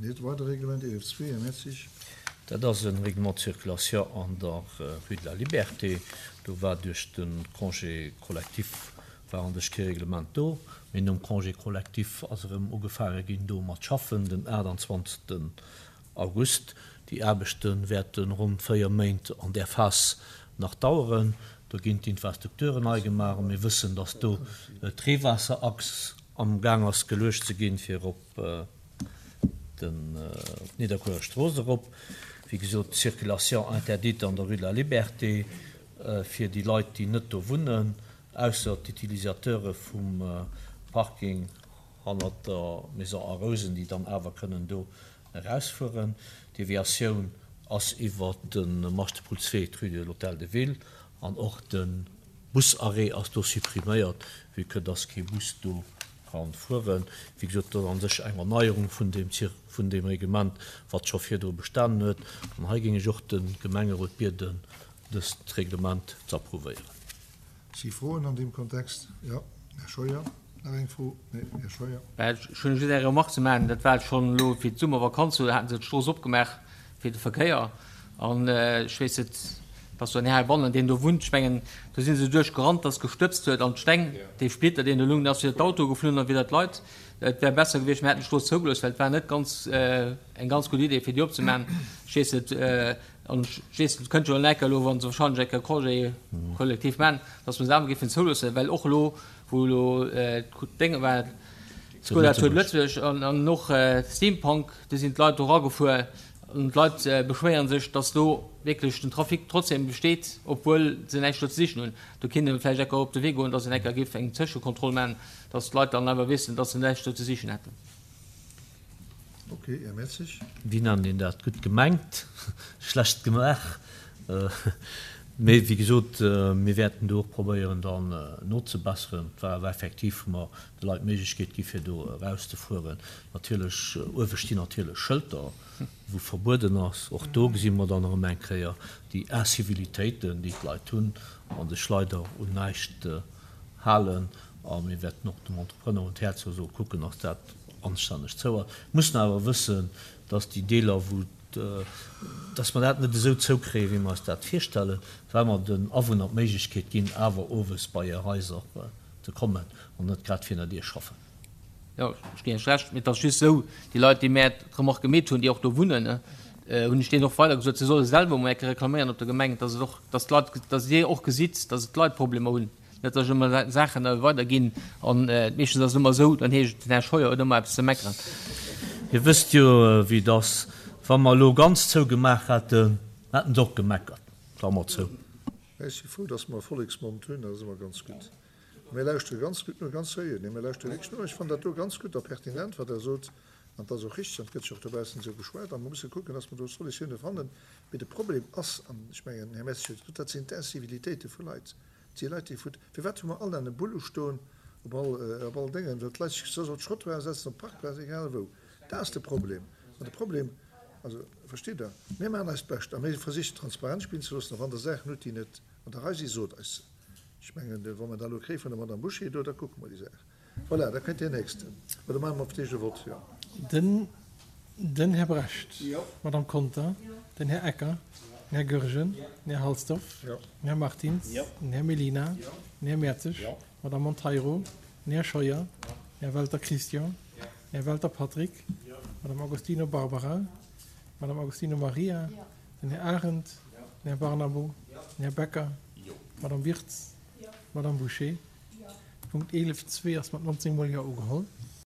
En weidere Reglement, 11.2, Här Mertzig. Dat ass e Règlement de circulation an der Rue de la Liberté. Do war duerch de Congé collectif war an sech kee Reglement do, mee nom Congé collectif ass erëm ugefaange ginn do mat schaffen den 28. August. Déi Aarbechte wäerte ronn 4 Méint an där Phas nach daueren. Do ginn d'Infrastrukturen nei gemaach a mir wëssen, datt do d'Reewaasserachs am Gaang ass geluecht ze ginn, fir op d'Nidderkuerer Strooss erop. Wéi gesot, d'Circulation interdite an der Rue de la Liberté fir déi Leit, déi net do wunnen, ausser d'Utilisateure vum Parking hannert der Maison A Rousen, déi dann awer kënnen do erausfueren. D'Deviatioun ass iwwer de Maschtepullswee, d'Rue de l'Hôtel de Ville an och de Busarrêt ass do suppriméiert, vue que dass kee Bus do ka fueren. Wéi gesot, dat ass a sech eng Erneierung vun deem vun deem Reglement, wat scho virdru bestanen huet. An hei géing ech och de Gemengerot bieden, dëst Reglement ze approuvéieren. Si Froen an deem Kontext? Jo, Här Scheuer. Nach eng Fro? Nee, Här Scheuer. Ech hunn just eng Remarque ze maachen. Dat war schonn elo fir d'Summervakanz, do haten se d'Strooss opgemaach fir de Verkéier. An ech weess net, dass do en Här heibannen, deen do wunnt, ech mengen, do si se duerchgerannt, dass gestëbst huet an d'Steng, dee Splitter, deen do lung, deen ass widder d'Autoe geflunn an widder d'Leit. Et wär besser gewiescht, mir hätten d'Strooss zougelooss, well et war net ganz eng ganz gutt Idee, fir déi opzemaachen. Ech weess net, An ech weess, et kënnt jo en Ecker elo, wa se wahrscheinlech eng Kéier Congé collectif maachen, datt mer se awer géifen zouloossen, well och elo, wou elo d'Dénge war, d'Scola Tour de Lëtzebuerg an och Steampunk, do sinn d'Leit do eragefuer an d'Leit beschwéiere sech, datt do wierklech den Trafic trotzdem besteet, obwuel se näischt do ze sichen hunn. Do kéint ee vläicht eng Kéier op de Wee goen, datt een eng Kéier géif eng Tëschekontroll maachen, datt d'Leit dann awer wissen, datt se näischt do ze sichen hätten. Ok, Här Mertzig. Wéi nennt een dat? Gutt gemengt, schlecht gemaach. Mee wéi gesot, mir wäerten do och probéieren dann nozebesseren. Et war awer effektiv, wou mer de Leit d'Méiglechkeet gi fir do erauszefueren. Natierlech, uewe stinn natierlech Schëlter, wou verbueden ass. Och do gesi mer dann erëm eng Kéier déi Incivilitéiten, déi d'Leit hunn a sech leider un näischt halen. A mir wäerten och dem Entrepreneur un d'Häerz soe kucken, dass dat anstänneg zou ass. Mir mussen awer wëssen, dass déi Deeler, wou, dass mer dat net esou zoukréien, wéi mer eis dat virstellen, well mer den Awunner d'Méiglechkeet ginn, awer owes bei hir Haiser ze kommen an net grad virun der Dier schaffen. Jo, ech ginn Iech Recht. Mee et ass just esou, déi Leit, déi mär d'Remarque gemeet hunn, déi och do wunnen, hunn ech deenen och weider gesot, se solle selwer emol eng Kéier reklaméieren op der Gemeng, dass et och, dass d'Leit, dass Dir och gesitt, dass et d'Leit Problemer hunn. Net datt ech ëmmer Saachen weiderginn an meeschtens ass et ëmmer esou, dann heescht et, den Här Scheuer huet ëmmer eppes ze meckeren. Dir wësst jo wéi et ass, wa mer elo ganz zou gemaach hätten, hätten se och gemeckert, Klammer zou. Ech si frou, datt mer e Volleksmond hunn, dat ass ëmmer ganz gutt. A mir lauschtere ganz gutt no, ganz seriö, nee, mir lauschtere wierklech no. Ech fannen dat do ganz gutt a pertinent, wat Der sot, an et ass och richtig an et gëtt jo och dobaussen esou geschwat a mer musse kucken, datt mer do Solutioune fannen. Mee de Problem ass, an ech mengen, den Här Messich huet et gesot, dat sinn d'Incivilitéite vu Leit. Et si Leit, déi vu. Firwat hu mer all an e Bullu stoen op all, op all Déngen, well d'Leit sech soss op d'Trottoire setzen, op d'Parkplaz, egal wou. Dat ass de Problem. An de Problem, also, versteet Der, mir maachen eist Bescht a mir versichen transparent spillen ze loossen. A wann Der Saachen hutt, déi net an der Rei sinn, sot eis se. Ech mengen, wa mer dat elo kréie vun der Madame Bouché do, da kucke mer déi Saach. Voilà, da kënnt deen Nächsten. Oder maache mer op d'éischt e Vott? Jo. Den, den Här Brecht. D'Madame Conter. Den Här Ecker. Den Här Goergen. Den Här Halsdorf. Den Här Martins. Den Här Mellina. Den Här Mertzig. D'Madame Monteiro. Den Här Scheuer. Den Här Welter Christian. Den Här Welter Patrick. D'Madame Agostino Barbara. D'Madame Agostino Maria. Den Här Arendt. Den Här Barnabo. Den Här Becker. D'Madame Wirtz. D'Madame Bouché. Punkt 11 zwee ass mat 19 mol Jo ugeholl.